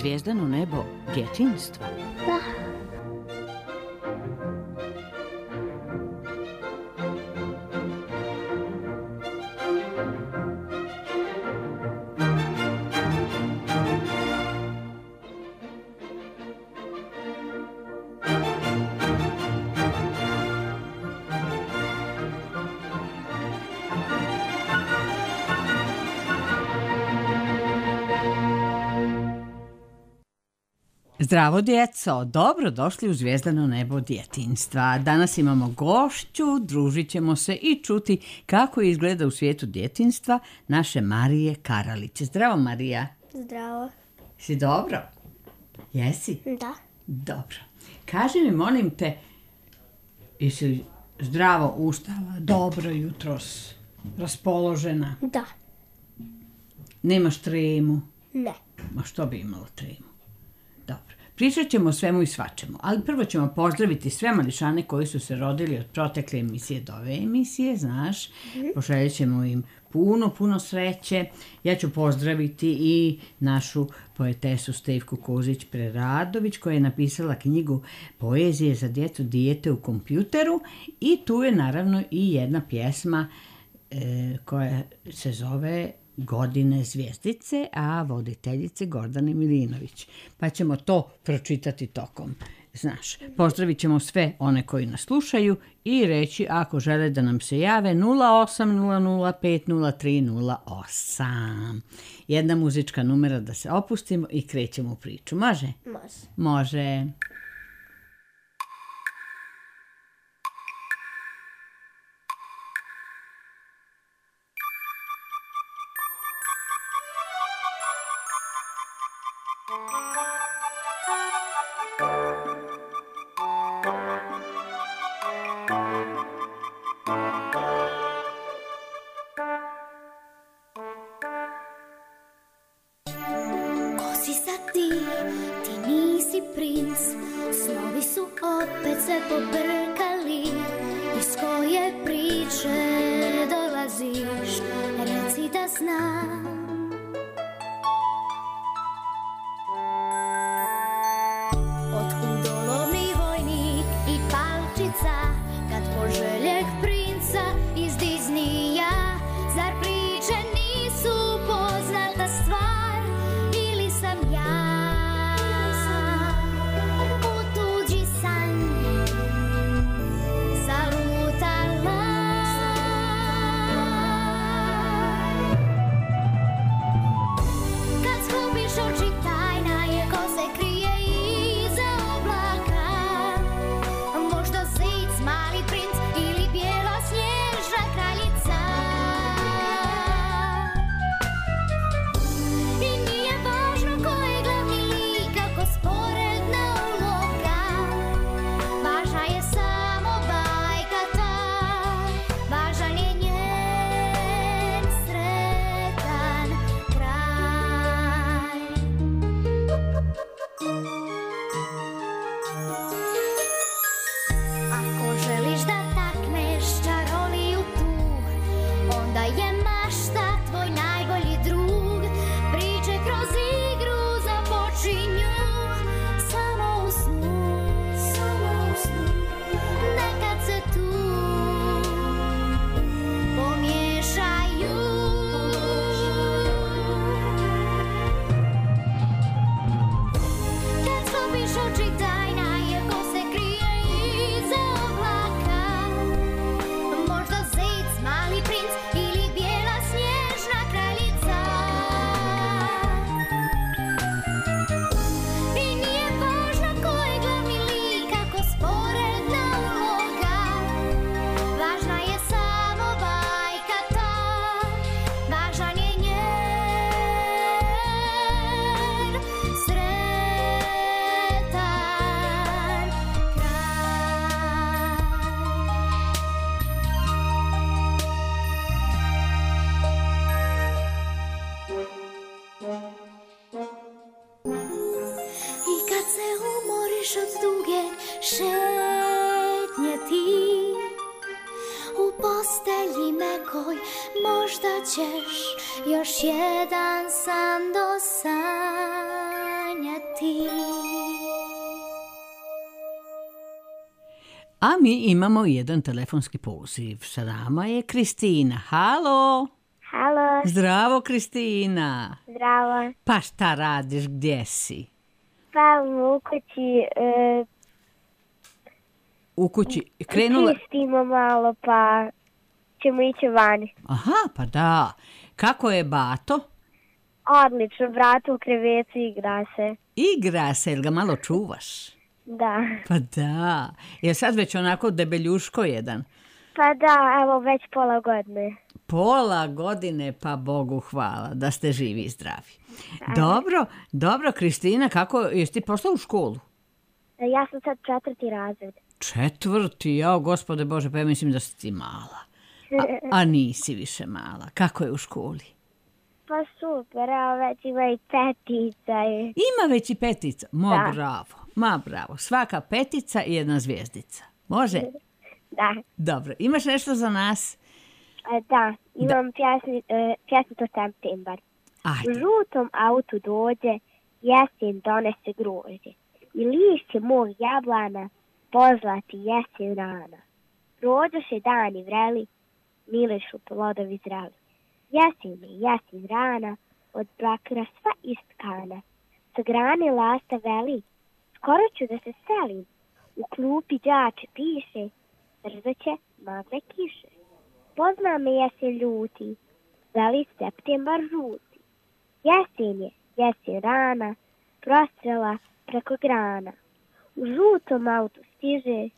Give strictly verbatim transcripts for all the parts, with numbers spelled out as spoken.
zvijezdano nebo djetinjstva? Da. Zdravo djeco, dobro došli u Zvijezdano nebo djetinjstva. Danas imamo gošću, družit ćemo se i čuti kako izgleda u svijetu djetinjstva naše Marije Karalić. Zdravo Marija. Zdravo. Si dobro? Jesi? Da. Dobro. Kaži mi, molim te, jesi zdravo ustala, dobro jutros, raspoložena? Da. Nemaš tremu? Ne. Ma što bi imalo tremu? Dobro. Pričat ćemo o svemu i svačemu, ali prvo ćemo pozdraviti sve mališane koji su se rodili od protekle emisije do ove emisije, znaš. Mm-hmm. Poželjet ćemo im puno, puno sreće. Ja ću pozdraviti i našu poetesu Stevku Kozić-Preradović koja je napisala knjigu Poezije za djecu dijete u kompjuteru i tu je naravno i jedna pjesma e, koja se zove Godine zvijezdice, a voditeljice Gordane Milinović. Pa ćemo to pročitati tokom. Znaš, pozdravit ćemo sve one koji nas slušaju i reći ako žele da nam se jave nula osam nula nula pet nula tri nula osam. Jedna muzička numera da se opustimo i krećemo u priču. Može? Može. Može. Još jedan san do sanjati. ti. A mi imamo jedan telefonski poziv. Sa nama je Kristina. Halo? Halo. Zdravo, Kristina. Zdravo. Pa šta radiš, gdje si? Pa u kući... E, u kući krenula... Čistimo malo, pa ćemo ići vani. Aha, pa da. Kako je bato? Odlično, brat u krevetu igra se. Igra se, jel ga malo čuvaš? Da. Pa da. Je sad već onako debeljuško jedan? Pa da, evo već pola godine. Pola godine, pa Bogu hvala da ste živi i zdravi. Da. Dobro, dobro, Kristina, kako, jesi ti pošla u školu? Ja sam sad četvrti razred. Četvrti, jao, gospode Bože, pa ja mislim da si ti mala. A, a nisi više mala. Kako je u školi? Pa super, evo već ima i petica. Ima već i petica? Ma da. Bravo, ma bravo. Svaka petica i jedna zvijezdica. Može? Da. Dobro, imaš nešto za nas? Da, imam pjesni, uh, pjesnicu Septembar. Ajde. U žutom autu dođe, jesen donese grožđe. I lišće mog jablana, pozlati jesen rana. Prođoše dani vreli, milišu plodovi zreli. Jesen je jesen rana, od bakra sva istkana. Sa grane lasta veli, skoro ću da se selim. U klupi đače piše, brzo će magle kiše. Pozna me jesen ljuti, veli septembar žuti. Jesen je jesen rana, prostrela preko grana. U žutom autu stiže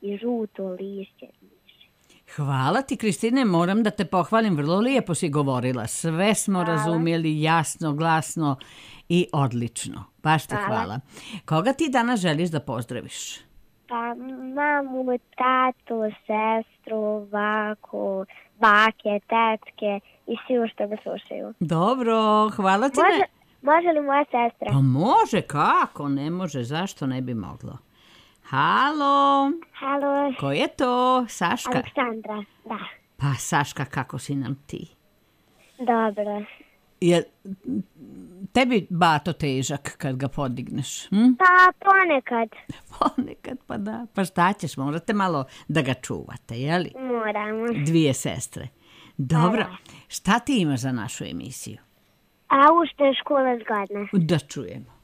i žuto lišće miše. Hvala ti, Kristine, moram da te pohvalim, vrlo lijepo si govorila. Sve smo hvala. Razumjeli jasno, glasno i odlično. Baš ti hvala. hvala. Koga ti danas želiš da pozdraviš? Pa mamu, tatu, sestru, baku, bake, tetke i svi što ga slušaju. Dobro, hvala ti. Može, ne... može li moja sestra? Pa može, kako ne može, zašto ne bi moglo? Halo. Halo. Ko je to? Saška? Aleksandra, da. Pa Saška, kako si nam ti? Dobro. Je tebi bato težak kad ga podigneš? Hm? Pa ponekad. Ponekad, pa da. Pa šta ćeš, morate malo da ga čuvate, jeli? Moramo. Dvije sestre. Dobro, pa, šta ti imaš za našu emisiju? A u što je škola zgodna? Da čujemo.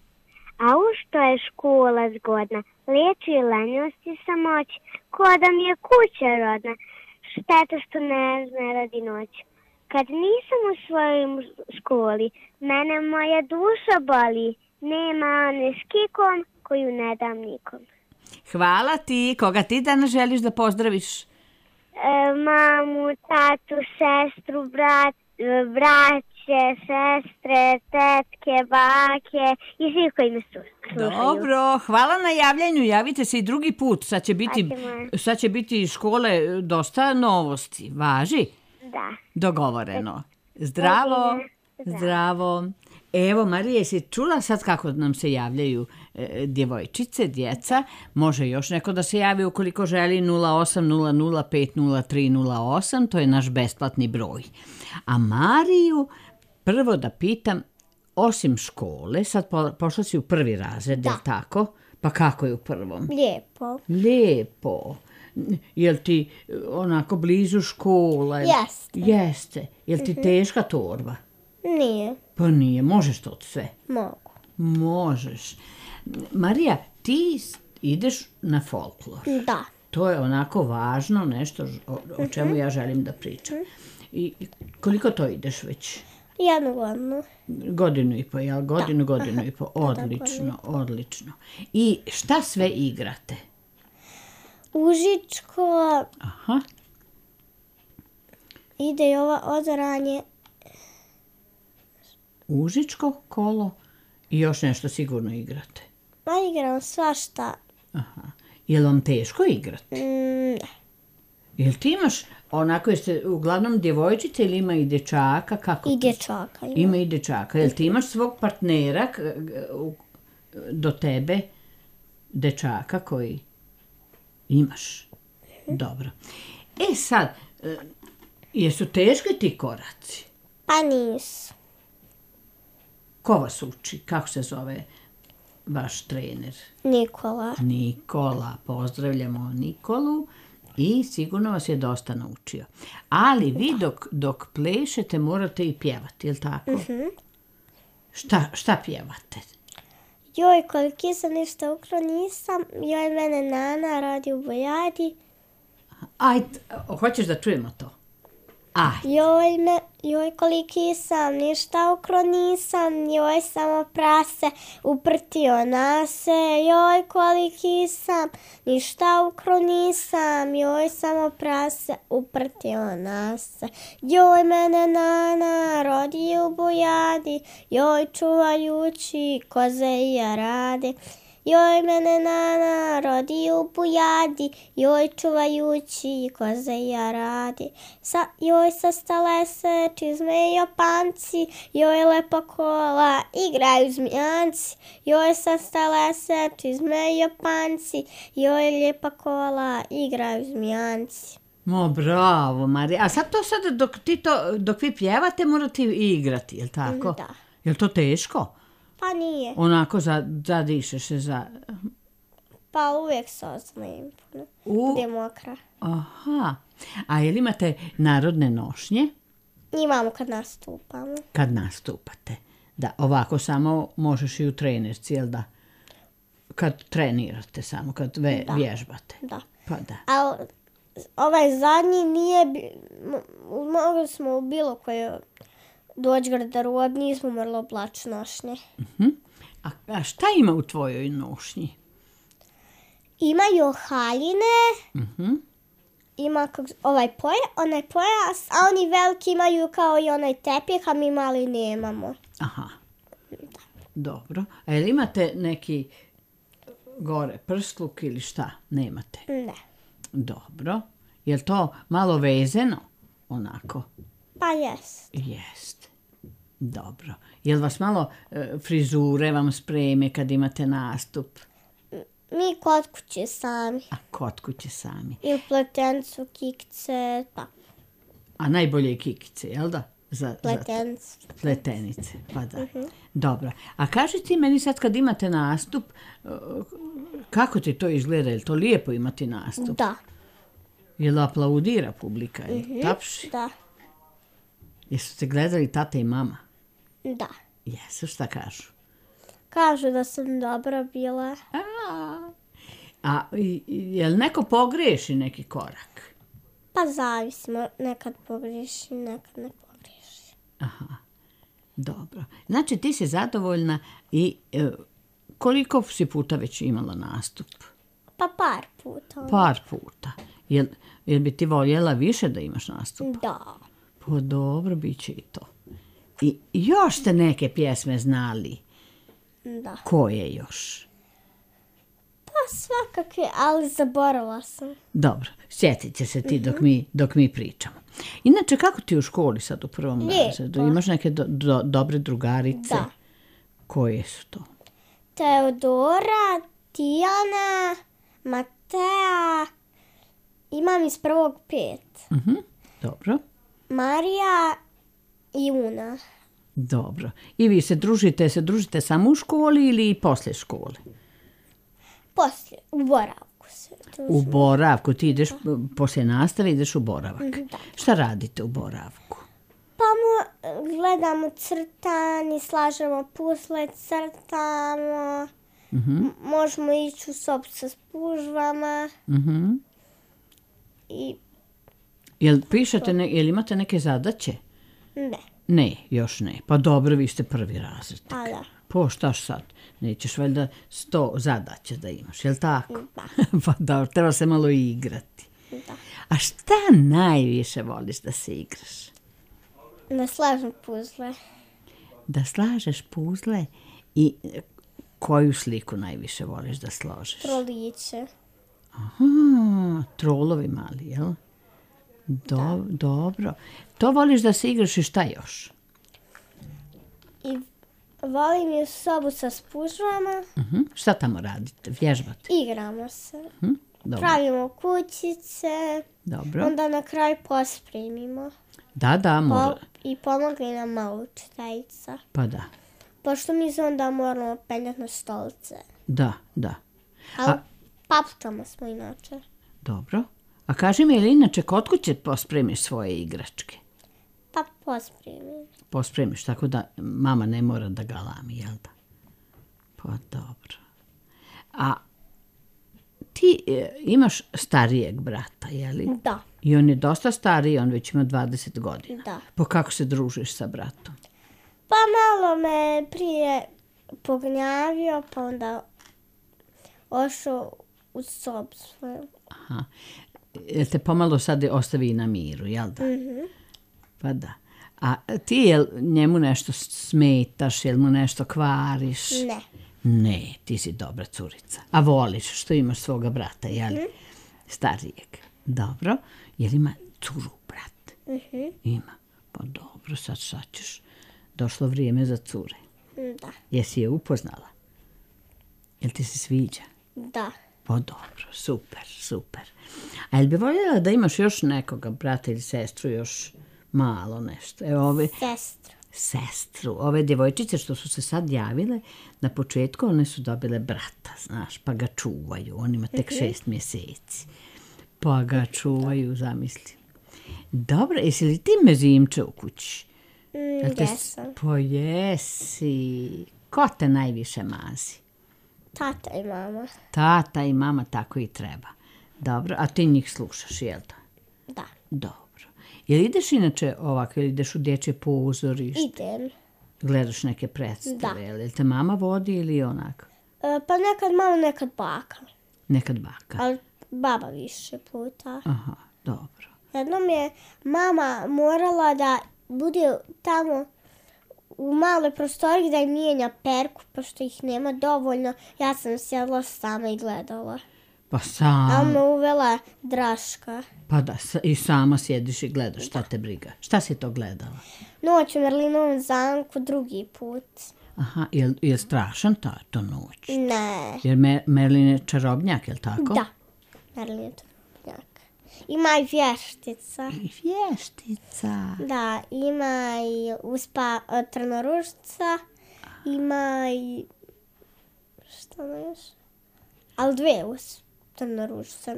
A u što je škola zgodna? Liječi lenjost i samoć, ko da mi je kuća rodna. Šteta što ne zna radi noć. Kad nisam u svojoj školi, mene moja duša boli. Nema one s kikom koju ne dam nikom. Hvala ti. Koga ti danas želiš da pozdraviš? E, mamu, tatu, sestru, brat, braće, sestre, tetke, bake i svi koji me slušaju. Dobro, hvala na javljanju. Javite se i drugi put. Sad će biti, sad će biti škole dosta novosti. Važi? Da. Dogovoreno. Zdravo. Zdravo. Zdravo. Evo, Marija, jesi čula sad kako nam se javljaju e, djevojčice, djeca? Može još neko da se javi ukoliko želi nula osam nula nula pet nula tri nula osam, to je naš besplatni broj. A Mariju prvo da pitam, osim škole, sad po, pošla si u prvi razred, da. Je li tako? Pa kako je u prvom? Lijepo. Lijepo. Jel ti onako blizu škola? Jeste. Jeste. Jel ti teška torba? Nije. Pa nije. Možeš to sve? Mogu. Možeš. Marija, ti ideš na folklor. Da. To je onako važno nešto o, o čemu ja želim da pričam. I koliko to ideš već? Jednu godinu. Godinu i po, jel? Godinu, da. godinu i po. Odlično, odlično. I šta sve igrate? Užičko. Aha. Ide i ova odoranje. Užičko, kolo i još nešto sigurno igrate. Pa igram svašta. Aha. Je li vam teško igrati? Mm, ne. Jel ti imaš, onako jeste uglavnom djevojčice ili ima i dječaka? Kako I dječaka ima. Ima i dječaka. Jel ti imaš svog partnera do tebe, dječaka koji imaš? Dobro. E sad, jesu teški ti koraci? Pa nisu. Ko vas uči? Kako se zove? vaš trener? Nikola. Nikola, pozdravljamo Nikolu i sigurno vas je dosta naučio. Ali vi dok, dok plešete morate i pjevati, je li tako? Mhm. Šta, šta pjevate? Joj, koliki sam ništa ukro nisam, joj mene nana radi u bojadi. Ajde, hoćeš da čujemo to? Ajde. Joj, me, joj koliki sam, ništa ukro nisam, joj samo prase uprtio nase. Joj koliki sam, ništa ukro nisam, joj samo prase uprtio nase. Joj mene nana rodi u bojadi, joj čuvajući koze i jarade. Joj mene nana rodi u bujadi, joj čuvajući koze i jaradi. Sa, joj sastale se čizme i opanci, joj lepa kola igraju zmijanci. Joj sastale se čizme i opanci, joj lijepa kola igraju zmijanci. Mo, bravo, Marija. A sad to sad dok, ti to, dok vi pjevate morate i igrati, je li tako? Da. Je li to teško? Pa nije. Onako za, zadišeš se za... Pa uvijek se ozlim. U... Bude mokra. Aha. A jel imate narodne nošnje Imamo kad nastupamo. kad nastupate? Da, ovako samo možeš i u trenerci, jel da? Kad trenirate samo, kad ve, Da. vježbate. Da. Pa da. A ovaj zadnji nije... bi- mo- Mogli smo u bilo koje doći garderob, nismo morali oblači nošnje. Mhm. A, a šta ima u tvojoj nošnji? Imaju haljine, Mhm. ima kak, ovaj poja, onaj pojas, a oni veliki imaju kao i onaj tepih, a mi mali nemamo. Aha. Dobro. A jel imate neki gore prstluk ili šta? Nemate? Ne. Dobro. Jel to malo vezeno? Onako? Pa jest. Jest. Dobro. Jel vas malo e, frizure vam spreme kad imate nastup? Mi kod kuće sami. A kod kuće sami. I u pletencu, kikce, pa A najbolje je kikice, jel da? Za, za pletencu. pletenice, pa da. Dobro. A kaži ti meni sad kad imate nastup, e, kako ti to izgleda? Je li to lijepo imati nastup? Da. Jel aplaudira publika? Jel tapši? Da. Jesu te gledali tata i mama? Da. Jesu, šta kažu? Kažu da sam dobra bila. A, a i- i- jel neko pogriješi neki korak? Pa zavisimo, nekad pogriješi, nekad ne pogriješi. Aha, dobro. Znači ti si zadovoljna i e, koliko si puta već imala nastup? Pa par puta. Par puta. Jel, jel bi ti voljela više da imaš nastup? Da. Pa dobro, bit će i to. I još ste neke pjesme znali. Da. Koje još? Pa svakakve, ali zaboravila sam. Dobro, sjetit će se ti dok mi, dok mi pričamo. Inače, kako ti u školi sad u prvom Lijepo. razredu? Imaš neke do, do- dobre drugarice? Da. Koje su to? Teodora, Tijana, Matea, imam iz prvog pet. Mhm, dobro, Marija i Una. dobro. I vi se družite, se družite samo u školi ili i poslije škole? Poslije, u boravku se U družimo. boravku, ti ideš, poslije nastave ideš u boravak. Da. Šta radite u boravku? Pa mo, gledamo crtani, slažemo pusle, crtamo. M- možemo ići u sobu sa spužvama. Mhm. I Jel pišete, ne, jel imate neke zadaće? ne, Ne, još ne. Pa dobro, vi ste prvi razred. a da. Po štaš sad? Nećeš valjda sto zadaća da imaš, jel tako? Da. Pa dobro, treba se malo i igrati. Da. A šta najviše voliš da se igraš? Da slažem puzle. Da slažeš puzle i e, koju sliku najviše voliš da složiš? Troliće. Aha, trolovi mali, jel? Do, Dobro. To voliš da se igraš i šta još? I volim i u sobu sa spužvama. Mhm. Šta tamo radite? Vježbate? Igramo se. Mhm. Dobro. Pravimo kućice. Dobro. Onda na kraju pospremimo. Da, da, Po, mora. I pomogli nam malo učiteljica. Pa da. Pošto mi se onda moramo penjati na stolice. Da, da. Ali papučama smo inače. Dobro. A kaži mi, ili inače kod kuće pospremiš svoje igračke? Pa pospremim. Pospremiš, tako da mama ne mora da galami, jel da? Pa dobro. A ti e, imaš starijeg brata, jeli? Da. I on je dosta stariji, on već ima dvadeset godina. Da. Pa kako se družiš sa bratom? Pa malo me prije pognjavio, pa onda ošao u sobu svoju. Aha. Jel te pomalo sad ostavi na miru, jel da? Mm-hmm. Pa da. A ti jel njemu nešto smetaš, jel mu nešto kvariš? Ne. Ne, ti si dobra curica. A voliš što imaš svoga brata, jel? Mm-hmm. Starijeg. Dobro. Jel ima curu, brat? Mm-hmm. Ima. Pa dobro, sad sad ćeš. Došlo vrijeme za cure. Da. Jesi je upoznala? Jel ti se sviđa? Da. Pa dobro, super, super. A jel bi voljela da imaš još nekoga, brata ili sestru, još malo nešto? Evo ove... Sestru. Sestru. Ove djevojčice što su se sad javile, na početku one su dobile brata, znaš, pa ga čuvaju. On ima tek šest mjeseci. Pa ga čuvaju, zamisli. Dobro, jesi li ti mezimče u kući? Mm, te... jesam. Pa jesi. Ko te najviše mazi? Tata i mama. Tata i mama, tako i treba. Dobro, a ti njih slušaš, jel da? Da. Dobro. Jel ideš inače ovako, ili ideš u dječje pozorište? Idem. Gledaš neke predstave, Da. jel te mama vodi ili onako? E, pa nekad mama, nekad baka. Nekad baka. Ali baba više puta. Aha, dobro. Jednom je mama morala da bude tamo u maloj prostoriji da im mijenja perku, pošto ih nema dovoljno. Ja sam sjedla sama i gledala. Pa sam... A me uvela Draška. Pa da, i sama sjediš i gledaš, šta te briga. Šta si to gledala? Noć u Merlinovom zamku drugi put. Aha, je li strašan ta to noć? Ne. Jer Me, Merlin je čarobnjak, je li tako? Da, Merlin je čarobnjak. Ima i vještica. I vještica. Da, ima i uspa trnorušca, ima i... Šta ne još? Ali dve uspa trnorušca.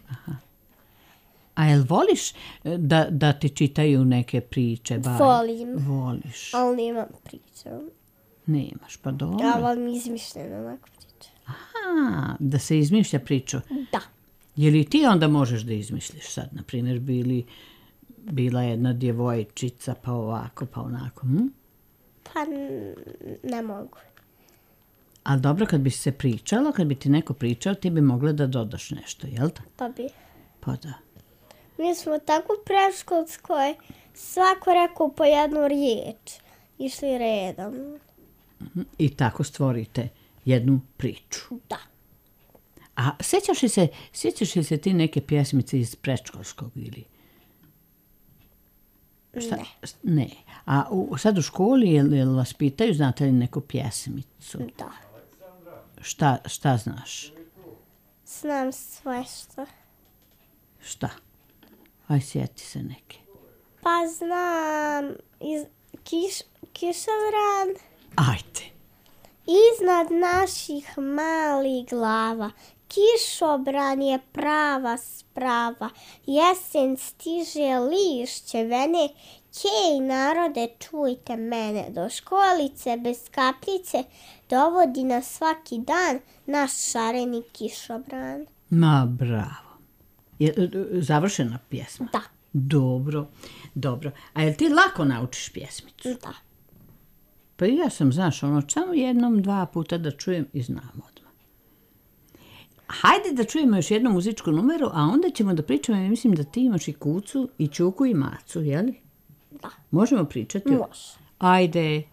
Aha. A jel voliš da, da ti čitaju neke priče? Baj? Volim. Voliš. Ali nemam priče. Nemaš, pa dobro. Ja volim izmišljene onako priče. Aha, da se izmišlja priču. Da. Je li ti onda možeš da izmisliš sad, na primjer, bili, bila jedna djevojčica, pa ovako, pa onako, hm? Pa n- ne mogu. Ali dobro, kad bi se pričalo, kad bi ti neko pričao, ti bi mogla da dodaš nešto, jel da? Pa bi. Pa da. Mi smo tako u predškolskoj, svako rekao po jednu riječ. Išli redom. I tako stvorite jednu priču. Da. A sjećaš li se, sjećaš li se ti neke pjesmice iz predškolskog ili? Šta? Ne. Ne. A u, sad u školi, jel, jel vas pitaju, znate li neku pjesmicu? Da. Šta, šta znaš? Znam sve što. Šta? Aj, sjeti se neke. Pa znam iz kiš, kišovran. Ajde. Iznad naših malih glava kišobran je prava sprava. Jesen stiže lišće vene. Kej narode, čujte mene. Do školice bez kapljice dovodi nas svaki dan naš šareni kišobran. Ma, bravo. Je završena pjesma? Da. Dobro, dobro. A jel ti lako naučiš pjesmicu? Da. Pa i ja sam, znaš, ono, samo jednom, dva puta da čujem i znam odmah. Hajde da čujemo još jednu muzičku numeru, a onda ćemo da pričamo, ja mislim da ti imaš i kucu, i čuku, i macu, je li? Da. Možemo pričati? Može. Ajde.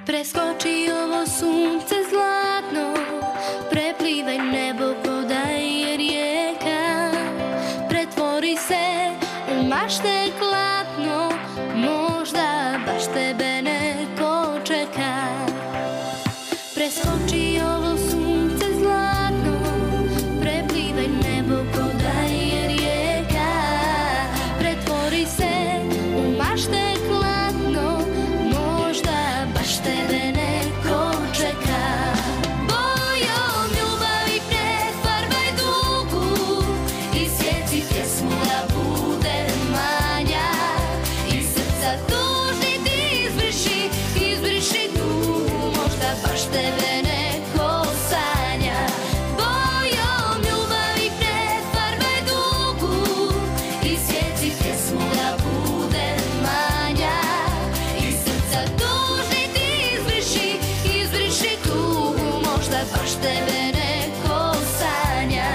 Preskoči ovo sunce zlatno, preplivaj nebo ko da je rijeka, pretvori se u maš baš te klatno, možda baš tebe neko čeka. Preskoči ovo sunce zlatno, preplivaj nebo ko da je rijeka. Pretvori se u mašte klatno, možda baš tebe neko čeka. Bojom ljubavi prefarbaj dugu i sjeci pjesmu da bude manja. Iz srca tužni ti izbriši, izbriši tugu, možda baš tebe neko sanja. Bojom ljubavi prefarbaj dugu i sjeci pjesmu da bude manja. Iz srca tužni ti izbriši, izbriši tugu, možda baš tebe neko sanja.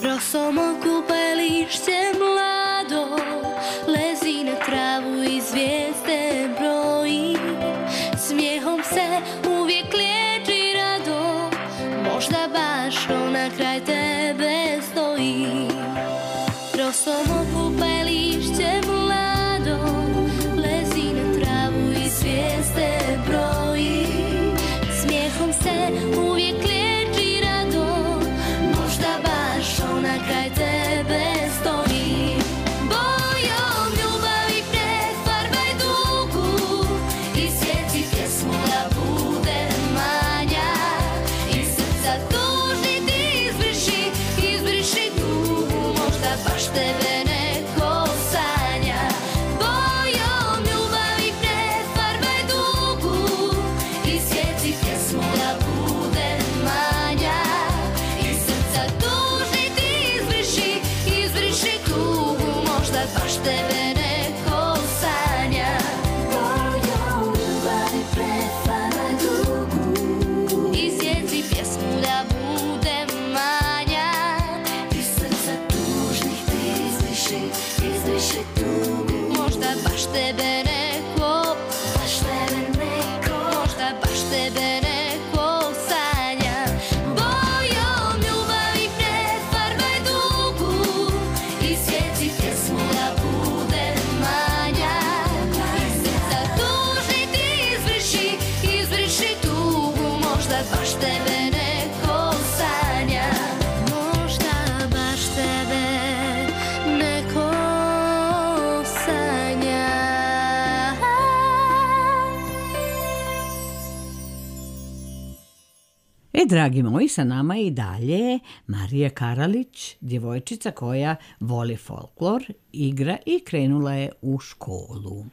Rosom okupa lišće mlado, lezi na travu i zvijezde broji. Smijehom se uvijek liječi rado, možda baš ona kraj tebe stoji. Rosom okupa lišće mlado, lezi na travu i zvijezde broji. Smijehom se uvijek liječi rado, možda baš ona kraj tebe stoji. Bojom ljubavi prefarbaj dugu i sjeci pjesmu da bude manja. Iz srca tužni ti izbriši, izbriši tugu, možda baš tebe neko sanja. Bojom ljubavi prefarbaj dugu i sjeci pjesmu da bude manja. Iz srca tužni ti izbriši, izbriši tugu, možda baš tebe neko sanja. Bojom ljubavi prefarbaj dugu i sjeci pjesmu da bude manja. Iz srca tužnih ti izbriši, izbriši tugu, možda baš tebe neko, baš tebe neko, možda baš tebe neko sanja. Bojom ljubavi prefarbaj dugu i sjeci pjesmu da bude manja. Iz srca tužni ti izbriši, izbriši tugu, možda baš tebe neko sanja. Možda baš tebe neko sanja. E, dragi moji, sa nama je i dalje Marija Karalić, djevojčica koja voli folklor, igra i krenula je u školu.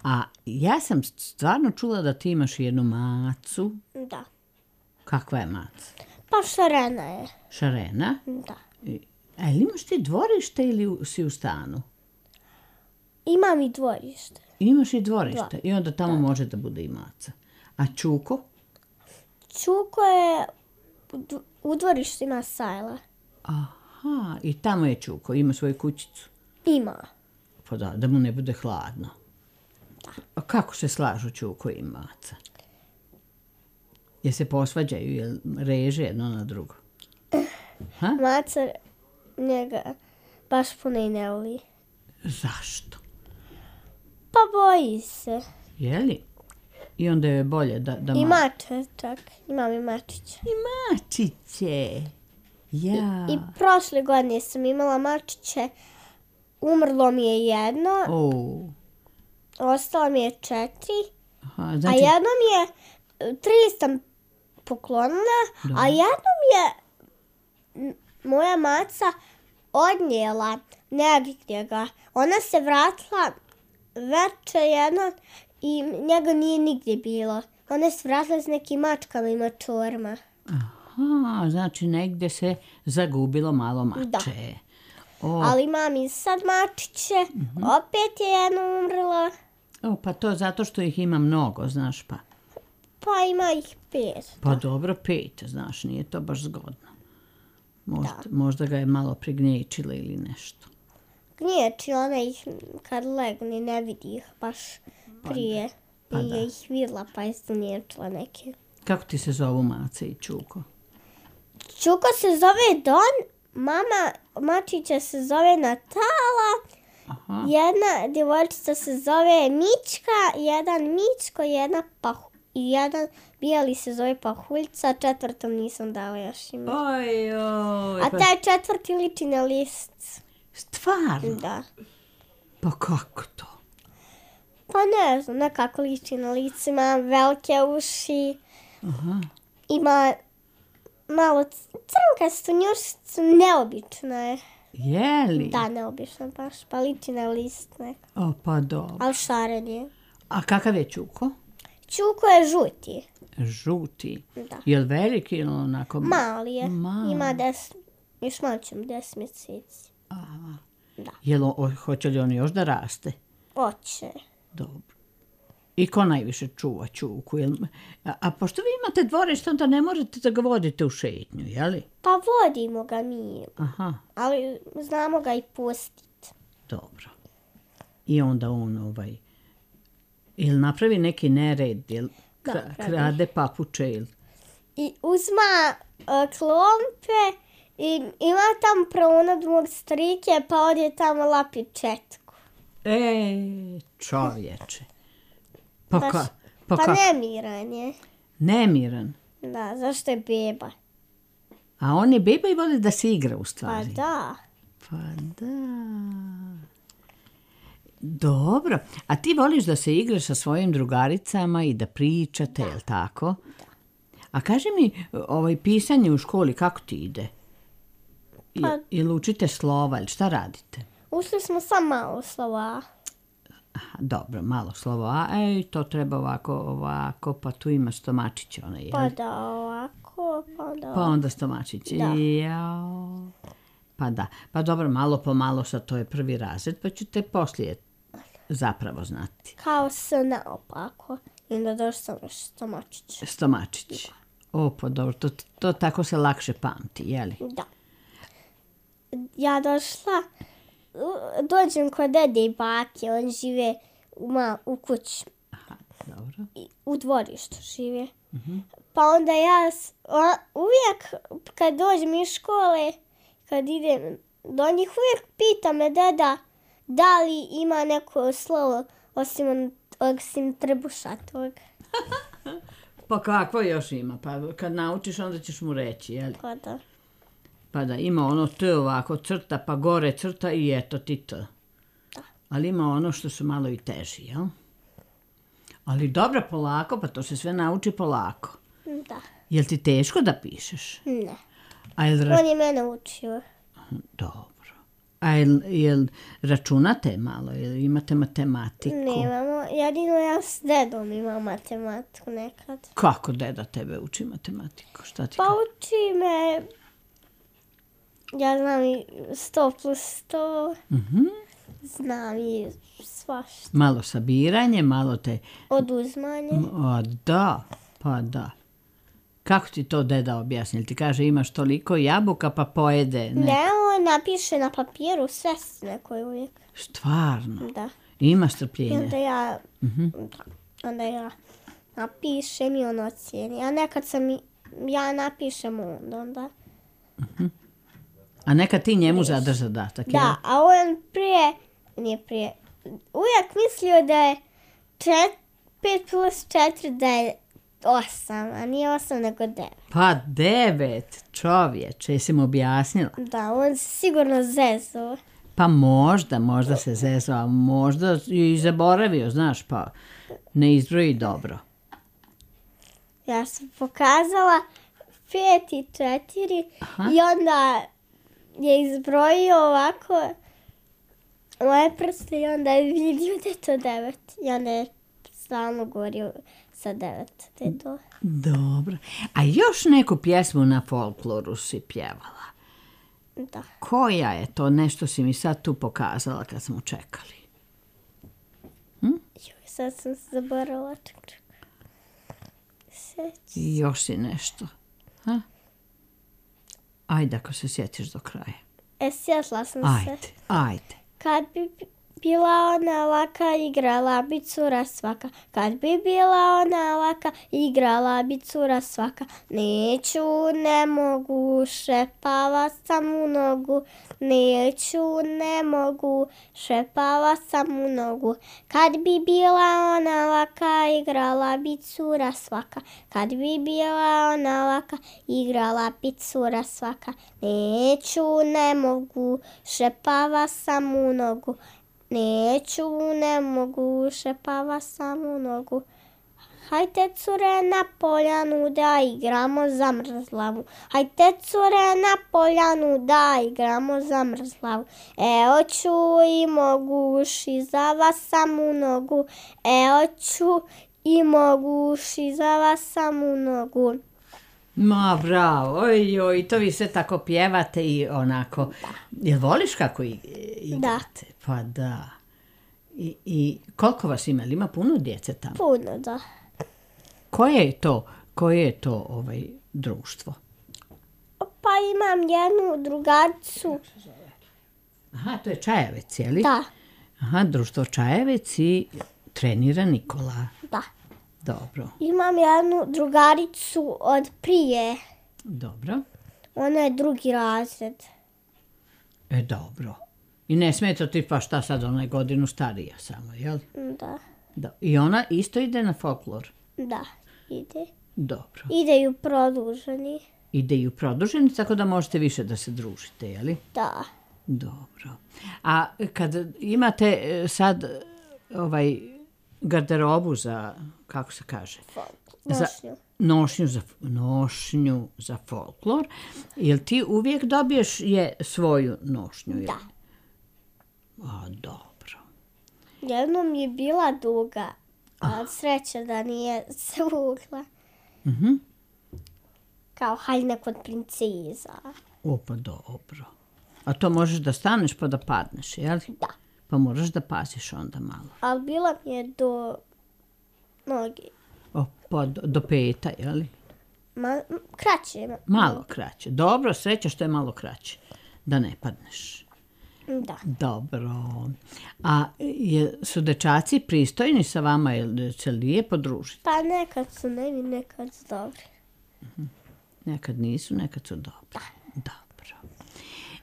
A ja sam stvarno čula da ti imaš jednu macu. Da. Kakva je maca? Pa šarena je. Šarena? Da. A ili imaš ti dvorište ili u- si u stanu? Imam i dvorište. Imaš i dvorište Da. i onda tamo može da bude i maca. A Čuko? Čuko je u dv- u dvorištu ima sajla. Aha, i tamo je Čuko, ima svoju kućicu. Ima. Pa da, da mu ne bude hladno. A kako se slažu Čuko i maca? Je se posvađaju, jel reže jedno na drugo? Maca njega baš puno i ne voli. Zašto? Pa boji se. Je li? I onda je bolje da... da I ma- mače čak. Imam i mačića. I mačiće. Ja. I prošle godine sam imala mačiće. Umrlo mi je jedno, O, ostalo mi je četiri. aha, A znači, jedno mi je, tri sam poklonila, Da. a jedno mi je m, moja maca odnijela negdje ga. Ona se vratila veče jedno i njega nije nigdje bilo. Ona se vratila s nekim mačkama i mačorima. aha, znači negdje se zagubilo malo mače. Da. O, Ali imam i sad mačiće, opet je jedno umrlo, o, pa to zato što ih ima mnogo, znaš pa. pa ima ih pet. Pa dobro, pet, znaš, nije to baš zgodno. Možda, možda ga je malo prignječila ili nešto. Gnječi, ona ih kad legne ne vidi ih baš prije. Pa I da. je ih vidla pa je izniječila neke. Kako ti se zovu Mace i Čuko? Čuko se zove Don, mama mačića se zove Natala, Aha. jedna djevojčica se zove Mička, jedan Mičko, jedna Pahu, i jedan bijeli se zove Pahuljca, četvrtom nisam dala još ime. Oj, oj. A Pa, taj četvrti liči na list. stvarno? Da. Pa kako to? Pa ne znam, nekako liči na lice, ima velike uši, Aha. ima malo c- crnkastu njušicu, neobično je. Je li? Da, neobično baš, pa liči na list nekako, O, pa dobro. ali šaren je. A kakav je Čuko? Čuko je žuti, Žuti. da. Je li veliki ili onako? Mali je, Mali. ima des, još malo ćemo deset mjeseci. Aha. Da. Jel, o, hoće li on još da raste? Oće. Dobro. I ko najviše čuva Čuku? Jel, a, a pošto vi imate dvorište, onda ne možete da ga vodite u šetnju, je li? Pa vodimo ga mi, Aha, ali znamo ga i pustiti. dobro. I onda on ovaj... Jel napravi neki nered, jel kra, Napravi. krade papuče, jel? I uzma uh, klompe i ima tam pronad mog strike, pa odje tamo lapi četku. E, čovječe. Pa, Baš- ka, pa, Pa ka, nemiran je. nemiran. Da, zašto je beba? A on je beba i voli da se igra u Pa stvari. da. Pa da. Dobro. A ti voliš da se igraš sa svojim drugaricama i da pričate, jel tako? Da. A kaži mi, ovaj, pisanje u školi, kako ti ide? I, Pa- Ili učite slova, ili šta radite? Ušli smo sam malo slova. Aha, dobro, malo slovo A, ej, to treba ovako, ovako, pa tu ima stomačić onaj, jel? Pa da, ovako, pa da. Pa onda stomačić. Da. Jao. Pa da. Pa dobro, malo po malo, sad to je prvi razred, pa ću te poslije zapravo znati. Kao s naopako. I onda došli sam još stomačić. Stomačić. O, pa dobro, to, to tako se lakše pamti, jeli? Da. Ja došla, u- dođem kod dede i bake, on žive u, ma, u kući, Aha, dobro. i u dvorištu žive. Pa onda ja s- o- uvijek kad dođem iz škole, kad idem do njih, uvijek pita me deda da li ima neko slovo osim, on- osim trbušatog. Pa kakvo još ima? Pa kad naučiš, onda ćeš mu reći, jeli? Pa da. Pa da, ima ono T ovako crta, pa gore crta i eto ti T. Ali ima ono što su malo i teži, jel? Ali dobro, polako, pa to se sve nauči polako. Da. Jel ti teško da pišeš? Ne. A jel, ra- On je mene učio. dobro. A jel, jel računate malo? Jel imate matematiku? Nemamo, jedino ja s dedom imam matematiku nekad. Kako deda tebe uči matematiku? Šta ti Pa kaže? uči me, ja znam i sto plus sto, Mhm. znam i svašta. Malo sabiranje, malo te... Oduzmanje. A da, pa da. Kako ti to deda objasni? Jel ti kaže imaš toliko jabuka pa pojede? Ne. Ne, on napiše na papiru sve neko uvijek. Stvarno? Da. Ima I strpljenja? onda ja, Mhm. da, onda ja napišem i on ocijeni. A nekad sam i, ja napišem onda, onda. A neka ti njemu zadaš zadatak, jel? Da, a on prije, nije prije, uvijek mislio da je čet, pet plus četiri da je osam, a nije osam nego devet. Pa devet, čovječe, jesi mu objasnila? Da, on se sigurno zezao. Pa možda, možda se zezao, a možda i zaboravio, znaš, pa ne izbroji dobro. Ja sam pokazala pet i četiri i onda je izbrojio ovako moje prste i onda je vidio da je to devet. I onda je stalno govorio sa devet, da je to. Dobro. A još neku pjesmu na folkloru si pjevala. Da. Koja je to? Nešto si mi sad tu pokazala kad smo čekali. Joj, sad sam se zaboravila. Ček, ček. Seć. I još si nešto. Ha? Ajde ako se sjetiš do kraja. E, sjetla sam se. Ajde, ajde. Kad bi bila ona laka, igrala bi cura svaka. Kad bi bila ona laka, igrala bi cura svaka. Neću, ne mogu, šepava sam u nogu. Neću, ne mogu, šepava sam u nogu. Kad bi bila ona laka, igrala bi cura svaka. Kad bi bila ona laka, igrala bi cura svaka. Neću, ne mogu, šepava sam u nogu. Neću, ne mogu, šepava sam u nogu. Hajde cure na poljanu da igramo zamrzlavu. Hajde cure na poljanu da igramo zamrzlavu. Evo ću i moguš i za vas sam u nogu. Evo ću i moguš i za vas sam u nogu. Ma bravo, oj, oj, to vi sve tako pjevate i onako. Jel voliš kako i- igrate? Pa da. I, I koliko vas ima? Jel ima puno djece tamo? Puno, da. Koje je to, koje je to ovaj, društvo? Pa imam jednu drugaricu. Aha, to je Čajevec, je li? Da, Aha, društvo Čajevec i trenira Nikola. da. Dobro, Imam jednu drugaricu od prije. dobro. Ona je drugi razred. E, dobro. I ne smeta ti pa šta sad, ona je godinu starija samo, jel? Da, Da. I ona isto ide na folklor? da, ide. Dobro. Ideju produženi. Ide i u produženi, tako da možete više da se družite, jeli? Da. Dobro. A kad imate e, sad e, ovaj garderobu za, kako se kaže? Za Nošnju. nošnju za, nošnju za folklor, jel ti uvijek dobiješ je svoju nošnju? Jel? Da. A, dobro. Jednom je bila duga, a sreća da nije svugla. Mhm. Kao haljina kod princeza. O, pa dobro. A to možeš da staneš pa da padneš, jel? Da. Pa moraš da paziš onda malo. Ali bila mi je do noge. O, pa do, do peta, jel? Ma, m, kraće. ma- Malo kraće. Dobro, sreća što je malo kraće. Da ne padneš. Da. Dobro. A je, su dečaci pristojni sa vama, jel se lijepo družiti? Pa nekad su nevi, nekad su dobri. Nekad nisu, nekad su dobri. Dobro.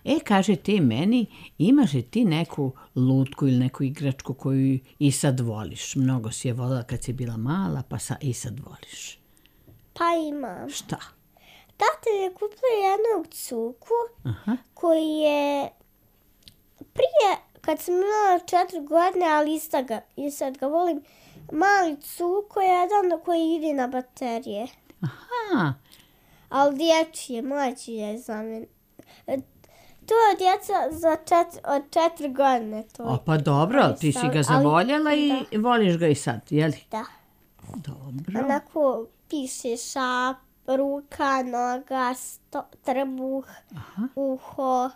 E, kaži ti meni, imaš li ti neku lutku ili neku igračku koju i sad voliš? Mnogo si je volila kad si bila mala, pa sa, i sad voliš. Pa imam. Šta? Tata mi je kupio jednog cuku Aha. koji je prije, kad sam imala četiri godine, ali ista ga, i sad ga volim, mali cuko je jedan koji ide na baterije. Aha. Ali dječji je, mlađi je za mene. E, To je djeca za čet, od četiri godine. To O, je. pa dobro, ali ti si ga Ali- zavoljela i voliš ga i sad, jel? Da. Dobro. Onako piše šap, ruka, noga, sto, trbuh, uho.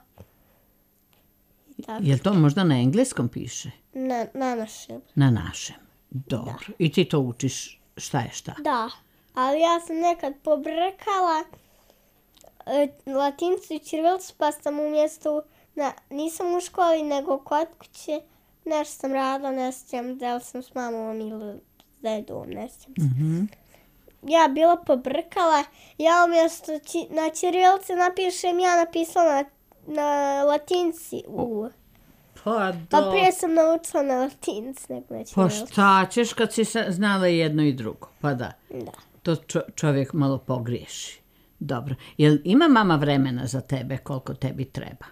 I tako. Jel to možda na engleskom piše? Na, na našem. Na našem. Dobro. I ti to učiš šta je šta? Da, ali ja sam nekad pobrkala e, latinicu i ćirilicu, pa sam umjesto, na, nisam u školi nego kod kuće, nešto sam radila, ne sjećam da li sam s mamom ili s dedom, ne sjećam se. Mhm. Ja bila pobrkala, ja umjesto ći, na ćirilici napišem, ja napisala na, na latinci u. Pa Pa do... prije sam naučila na latinci nego na Pa ćirilici. šta ćeš kad si sa- znala jedno i drugo? Pa da. Da. To čo- čovjek malo pogriješi. Dobro. Jel ima mama vremena za tebe koliko tebi treba?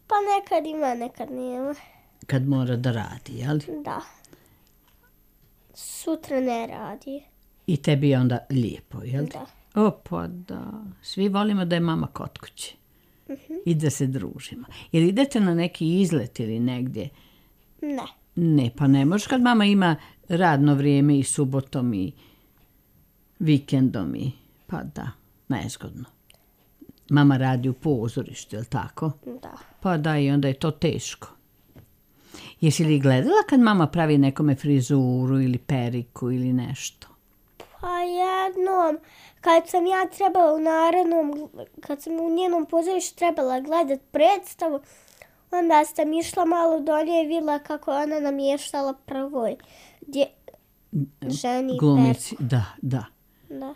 Pa nekad ima, nekad nema. Kad mora da radi, jel? Da. Sutra ne radi. I tebi je onda lijepo, jel? Da. O, pa da. Svi volimo da je mama kod kuće. I da se družimo. Jel idete na neki izlet ili negdje? Ne. Ne, pa ne možeš kad mama ima radno vrijeme i subotom i vikendom i pa da, nezgodno. Mama radi u pozorištu, jel tako? Da. Pa da, i onda je to teško. Jesi li gledala kad mama pravi nekome frizuru ili periku ili nešto? Pa jednom, kad sam ja trebala u narednom, kad sam u njenom pozorištu trebala gledat predstavu, Onda sam išla malo do nje i vidjela kako ona namještala prvoj dje, ženi Glumici, perku. da, da. Da.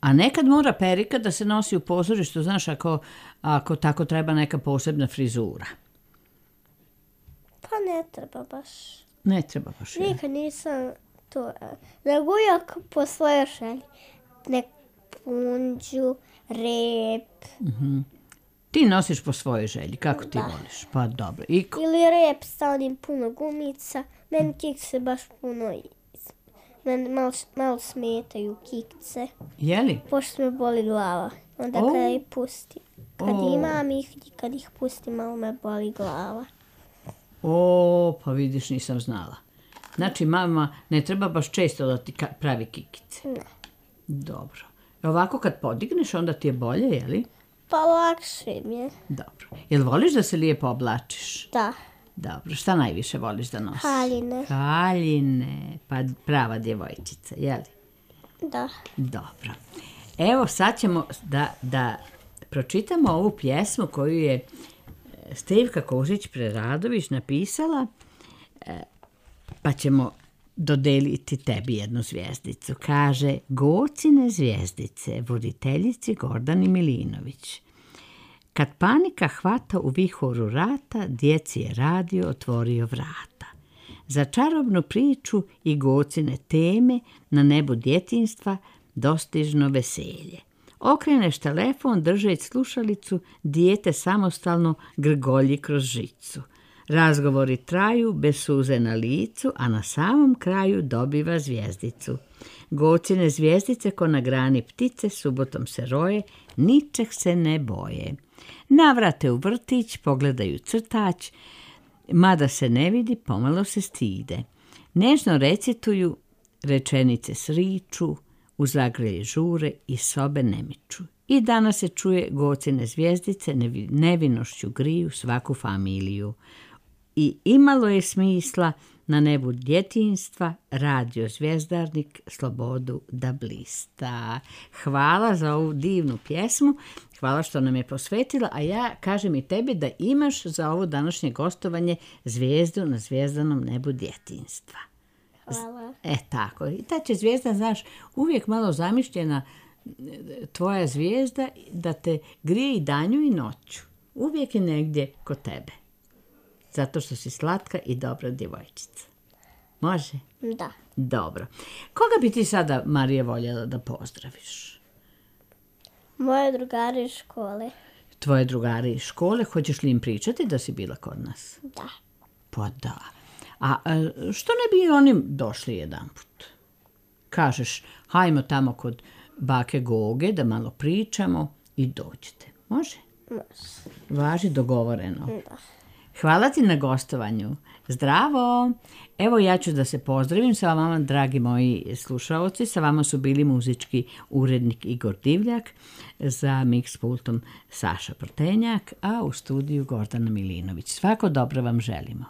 A nekad mora perika da se nosi u pozorištu, znaš, ako, ako tako treba neka posebna frizura. Pa ne treba baš. Ne treba baš. je. Nikad nisam to, nego uvijek po svojoj želji. Nek punđu, rep. Ti nosiš po svojoj želji, kako ti voliš? Pa dobro. I ko- Ili rep sa onim puno gumica. Meni kikse baš puno, meni malo, malo smetaju kikce. je li? Pošto me boli glava. Onda O. kada ih pustim. Kad O. imam ih i kad ih pustim, malo me boli glava. O, pa vidiš, nisam znala. Znači, mama ne treba baš često da ti ka- pravi kikice. Ne. Dobro. E ovako kad podigneš, onda ti je bolje, je li? Pa lakše mi je. Dobro. Jel voliš da se lijepo oblačiš? Da. Dobro. Šta najviše voliš da nosiš? Haljine. Haljine. Pa prava djevojčica, je li? Da. Dobro. Evo sad ćemo da, da pročitamo ovu pjesmu koju je e, Stevka Kožić-Preradović napisala, e, pa ćemo dodeliti tebi jednu zvijezdicu. Kaže: Gocine zvijezdice, voditeljici Gordani Milinović. Kad panika hvata u vihoru rata, djeci je radio otvorio vrata. Za čarobnu priču i Gocine teme na nebu djetinjstva dostižno veselje. Okreneš telefon, držeć slušalicu, dijete samostalno grgolji kroz žicu. Razgovori traju bez suze na licu, a na samom kraju dobiva zvijezdicu. Gocine zvijezdice ko na grani ptice subotom se roje, ničeg se ne boje. Navrate u vrtić, pogledaju crtač, mada se ne vidi, pomalo se stide. Nežno recituju, rečenice sriču, u zagrlje žure i sobe ne miču. I danas se čuje Gocine zvijezdice nevi- nevinošću griju svaku familiju. I imalo je smisla na nebu djetinjstva radio zvijezdarnik slobodu da blista. Hvala za ovu divnu pjesmu, hvala što nam je posvetila, a ja kažem i tebi da imaš za ovo današnje gostovanje zvijezdu na zvijezdanom nebu djetinjstva. Hvala. E tako, i ta će zvijezda, znaš, uvijek malo zamišljena e, tvoja zvijezda da te grije i danju i noću. Uvijek je negdje kod tebe. Zato što si slatka i dobra djevojčica. Može? Da. Dobro. Koga bi ti sada, Marija, voljela da pozdraviš? Moje drugare iz škole. Tvoje drugare iz škole, hoćeš li im pričati da si bila kod nas? Da. Pa da. A e, što ne bi oni došli jedanput? Kažeš, hajmo tamo kod bake Goge da malo pričamo i dođete. Može? Može. Važi, dogovoreno. Da. Hvala ti na gostovanju. Zdravo! Evo ja ću da se pozdravim sa vama, dragi moji slušaoci. Sa vama su bili muzički urednik Igor Divljak, za mix pultom Saša Protenjak, a u studiju Gordana Milinović. Svako dobro vam želimo.